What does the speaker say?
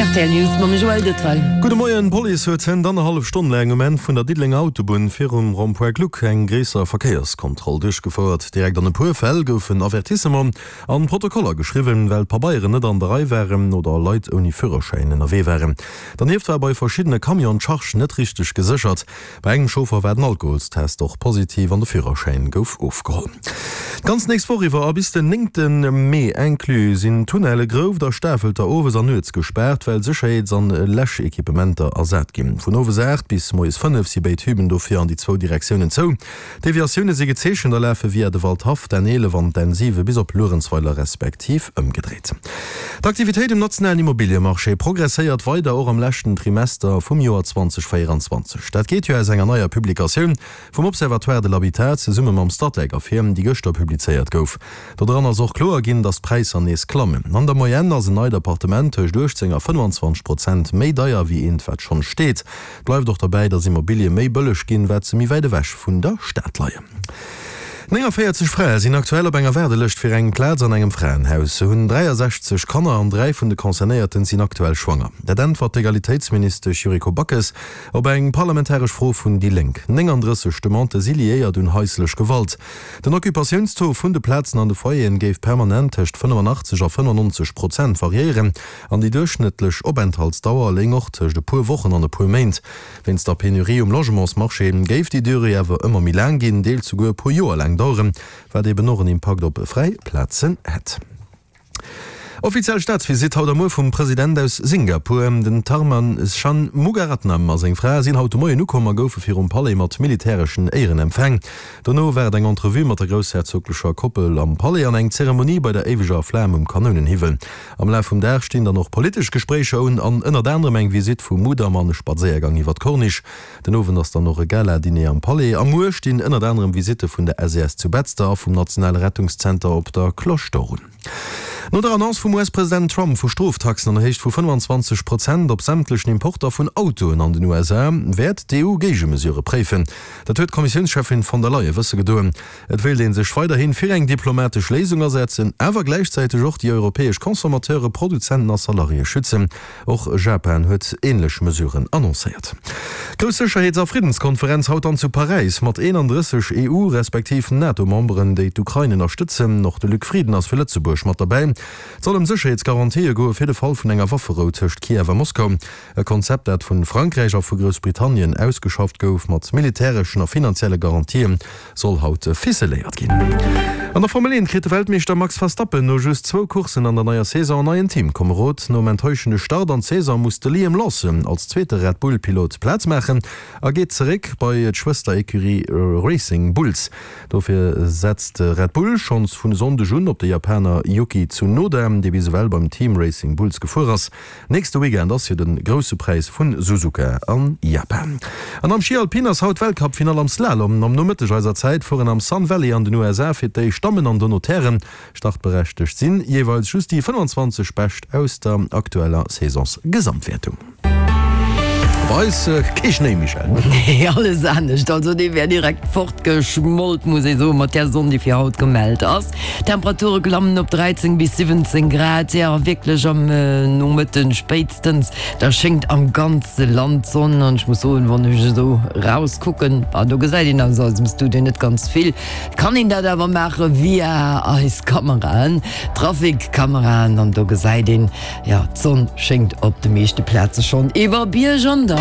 D'RTL News mam Joël Detval. Gudde Moien, D'Police huet hënt annerhallef Stonn laang um Enn vun der Diddelenger Autobunn virum Rond-point Gluck eng gréisser Verkéierskontroll duerchgefouert. Direkt an e puer Fäll goufen Avertissement an Protokoller geschriwwen, well d'Pabeieren net an der Rei waren oder Leit ouni Führerschäin ënnerwee waren. Dernieft war bei verschiddene Camionen d'Charge net richteg geséchert. Bei engem Chauffer war den Alkoholstest och positiv an de Führerschäin gouf ofgeholl. D'ganz nächst Woch iwwer a bis den néngte Mee inclus sinn d'Tunnelle Grouft a Stafelter owes an nuets gespaart, well Sécherheets an Läschequipementer ersat ginn. Vun owes 8 bis moies 5 si béid Hüben dofir an déi zwou Direktiounen zou. D'Deviatioune si gezeechent a lafe via de Waldhaff, d'N 11 an d'N 7 bis op Luerenzweiler respektiv ëmgedréit. D'Aktivitéit um nationalen Immobiliemarché progresséiert weider, och am leschten Trimester vum Joer 2024. Dat geet jo aus enger neier Publikatioun vum Observatoire de l'habitat zesumme mam Statec ervir, déi gëschter publizéiert gouf. Dodran ass och kloer ginn, datt d'Präisser nees klammen. An der Moyenne ass en neit Appartement tëscht 18 a 25 Prozent méi deier wéi eent, wat schonn steet. Bleift och derbäi, datt Immobilie méi bëlleg ginn, wat se méi wäit ewech vun der Stad leien. 49 Frae sinn aktuell op enger Waardelëscht fir eng Plaz an engem Fraenhaus. Se hunn 63 Kanner an 3 vun de Concernéierten sinn aktuell schwanger. Dat äntwert d'Egalitéitsministesch Yuriko Backes op eng parlamentaresch Fro vun déi Lénk. 39 Demandë si liéiert un haislech Gewalt. Den Occupatiounstaux vun de Plazen an de Foyeren géif permanent tëscht 85 a 95 Prozent variéieren an déi duerchschnëttlech Openthaltsdauer léing och tëscht e puer Wochen an e puer Méint. Wéinst der Penurie um Logementsmarché géif déi Durée awer ëmmer méi laang ginn, deels souguer e puer Joer laang daueren, wat eben och en Impakt op fräi Plazen hätt. Offiziell Staatsvisitt haut a muer vum President aus Singapur. Den Tharman Shanmugaratnam a seng Fra sinn haut de Moien ukomm a goufe virum Palais mat militäreschen Éieren empfaang. Dono war et eng Entrevue mat der groussherzoglecher Koppel am Palais an eng Zeremonie bei der éiweger Flam um Kanounenhiwwel. Am Laf vum Dag stinn dann och politesch Gespréicher un an ënnert anerem eng Visitt vu Mudam an e Spadséiergang iwwer d'Corniche. Den Owend ass dann och e Gala-Diner am Palais a muer stinn ënnert anerem Visitte vun der SES zu Betzder a vum nationale Rettungszenter op der Cloche d'Or un. No der Annonce vum US-President Trump vu Stroftaxen an der Héicht vu 25 Prozent op sämtlechen Importer vun Autoen an den USA, wäert d'EU Géigemesurë préifen. Dat huet d'Kommissiounscheffin von der Leyen wësse gedoen. Et wéilt ee sech weiderhi fir eng diplomatesch Léisung asetzen, awer gläichzäiteg och déi europäesch Consommateure, Produzenten a Salariéë schützen. Och Japan huet änlech Mesuren annoncéiert. Grouss Sécherheets a Friddenskonferenz haut dann zu Paräis mat 31 EU respektiv NATO-Memberen, déi d'Ukrain ënnerstëtzen. Och de Luc Frieden ass fir Lëtzebuerg mat derbäi. Et soll ëm Sécherheetsgarantië goe fir de Fall vun enger Wafferou tëscht Kiew a Moskau. E Konzept, dat vu Frankräich a vu Groussbritannien ausgeschafft gouf, mat militäreschen a finanzielle Garantien, soll haut ficeléiert ginn. An der Formel 1 kritt de Weltmeeschter Max Verstappen no just zwou Courssen an der neier Saison en neien Teamkomerod. Nom enttäuschende Start an d'Saison muss de Liam Lawson als zweete Red Bull-Pilot Plaz maachen a geet zeréck bei d'Schwëster-Ecurie Racing Bulls. Dofir setzt Red Bull schonns vun e Sonndeg un op de Japaner Yuki Tsunoda, dee bis ewell beim Team Racing Bulls gefuer ass. Nächste Weekend ass jo den grousse Präis vun Suzuka an Japan. An am Schi Alpin ass haut Weltcup-Finall am Slalom. Am Nomëtteg eiser Zäit fueren am Sun Valley an den USA fir d'éischt d'Dammen an dono d'Hären. Startberechtegt sinn jeeweils just déi 25 Bescht aus der aktueller Saisons-Gesamtwäertung. Bei eis kee Schnéi, Michèle? Nee, alles anescht. Also dee wär direkt fortgeschmolt, muss ee soen, mat där Sonn, déi fir haut gemellt ass. D'Temperature klammen op 13 bis 17 Grad, jo wierklech am Nomëtten spéitstens, da schéngt am ganze Land d'Sonn an ech muss soen, wann ech esou raus kucken, ah do gesäit een aus eisem Studio net ganz vill, kann een dat awer maache via eis Kameraen, Trafikkameraen an do gesäit een, jo d'Sonn schéngt op de meeschte Plaze schonn iwwer Bierg an Dall.